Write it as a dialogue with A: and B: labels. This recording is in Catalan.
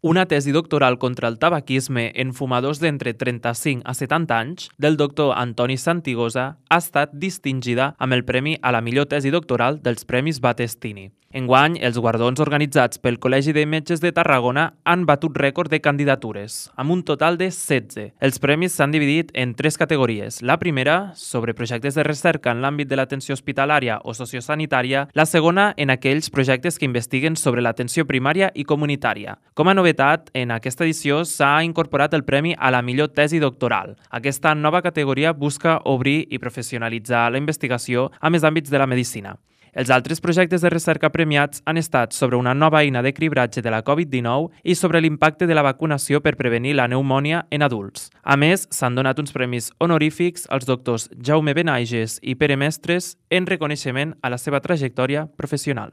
A: Una tesi doctoral contra el tabaquisme en fumadors d'entre 35 a 70 anys del doctor Antoni Santigosa ha estat distingida amb el Premi a la millor tesi doctoral dels Premis Battestini. Enguany, els guardons organitzats pel Col·legi de Metges de Tarragona han batut rècord de candidatures, amb un total de 16. Els premis s'han dividit en 3 categories. La primera, sobre projectes de recerca en l'àmbit de l'atenció hospitalària o sociosanitària. La segona, en aquells projectes que investiguen sobre l'atenció primària i comunitària. Com a novetat, en aquesta edició s'ha incorporat el Premi a la millor tesi doctoral. Aquesta nova categoria busca obrir i professionalitzar la investigació a més àmbits de la medicina. Els altres projectes de recerca premiats han estat sobre una nova eina de cribratge de la Covid-19 i sobre l'impacte de la vacunació per prevenir la pneumònia en adults. A més, s'han donat uns premis honorífics als doctors Jaume Benaiges i Pere Mestres en reconeixement a la seva trajectòria professional.